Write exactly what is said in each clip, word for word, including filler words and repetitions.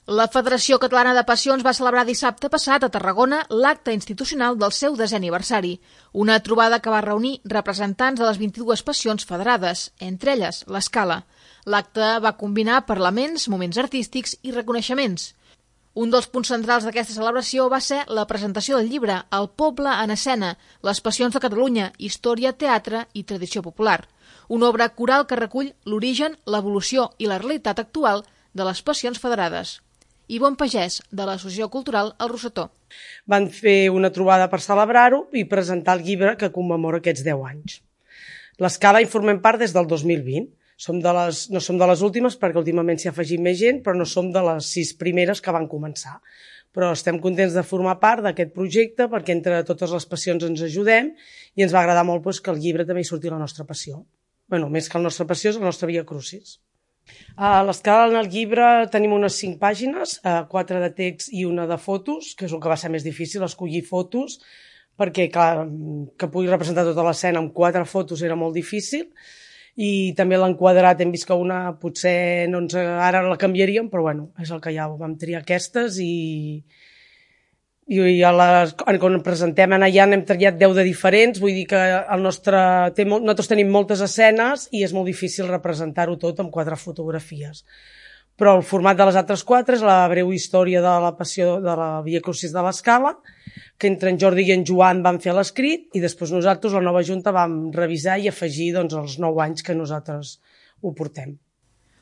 La Federació Catalana de Passions va celebrar dissabte passat a Tarragona l'acte institucional del seu desè aniversari, una trobada que va reunir representants de les vint-i-dues passions federades, entre elles l'Escala. L'acte va combinar parlaments, moments artístics i reconeixements. Un dels punts centrals d'aquesta celebració va ser la presentació del llibre El poble en escena, les passions de Catalunya, història, teatre i tradició popular, una obra coral que recull l'origen, l'evolució i la realitat actual de les passions federades. Ivonne Pagès, de l'Associació Cultural El Rosetó. Van fer una trobada per celebrar-ho i presentar el llibre que commemora aquests deu anys. L'Escala hi formem part des del dos mil vint. Som de les, no som de les últimes perquè últimament s'hi ha afegit més gent, però no som de les sis primeres que van començar. Però estem contents de formar part d'aquest projecte perquè entre totes les passions ens ajudem i ens va agradar molt doncs, que el llibre també hi surti la nostra passió. Bueno, més que la nostra passió és la nostra Via Crucis. A l'Escala, en el llibre, tenim unes cinc pàgines, quatre de text i una de fotos, que és el que va ser més difícil, escollir fotos, perquè clar, que pugui representar tota l'escena amb quatre fotos era molt difícil, i també l'han quadrat, hem vist que una potser no ens, ara la canviaríem, però bueno, és el que hi ha, vam triar aquestes i... i a les, quan presentem allà n'hem triat deu de diferents, vull dir que el nostre, té, nosaltres tenim moltes escenes i és molt difícil representar-ho tot amb quatre fotografies. Però el format de les altres quatre és la breu història de la passió de la Via Crucis de l'Escala, que entre en Jordi i en Joan van fer l'escrit i després nosaltres, la nova junta, vam revisar i afegir doncs, els nou anys que nosaltres ho portem.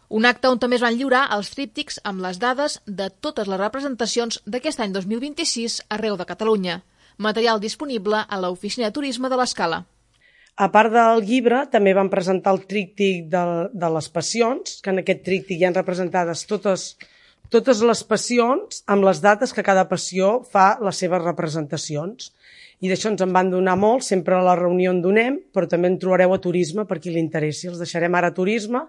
Un acte on també es van lliurar els tríptics amb les dades de totes les representacions d'aquest any dos mil vint-i-sis arreu de Catalunya. Material disponible a l'Oficina de Turisme de l'Escala. A part del llibre, també van presentar el tríptic de, de les passions, que en aquest tríptic hi ha representades totes, totes les passions amb les dates que cada passió fa les seves representacions. I d'això ens en van donar molt, sempre a la reunió en donem, però també en trobareu a turisme per qui li interessi. Els deixarem ara a turisme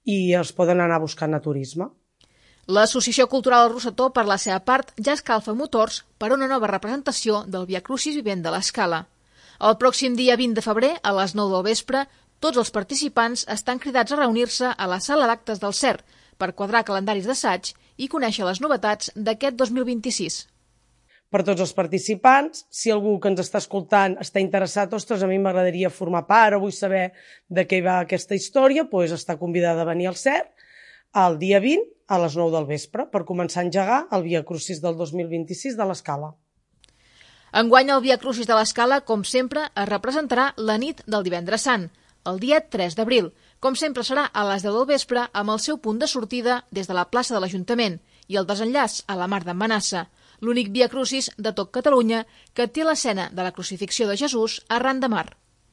i els poden anar buscant a turisme. L'Associació Cultural El Rosetó, per la seva part, ja escalfa motors per a una nova representació del Via Crucis vivent de l'Escala. El pròxim dia vint de febrer, a les nou del vespre, tots els participants estan cridats a reunir-se a la sala d'actes del C E R per quadrar calendaris d'assaig i conèixer les novetats d'aquest dos mil vint-i-sis. Per tots els participants, si algú que ens està escoltant està interessat, ostres, a mi m'agradaria formar part o vull saber de què va aquesta història, doncs està convidada a venir al C E R el dia vint a les nou del vespre per començar a engegar el Via Crucis del dos mil vint-i-sis de l'Escala. Enguany el Via Crucis de l'Escala, com sempre, es representarà la nit del Divendres Sant, el dia tres d'abril. Com sempre serà a les deu del vespre amb el seu punt de sortida des de la plaça de l'Ajuntament i el desenllaç a la Mar d'en Manassa, l'únic Via Crucis de tot Catalunya que té l'escena de la crucifixió de Jesús arran de mar.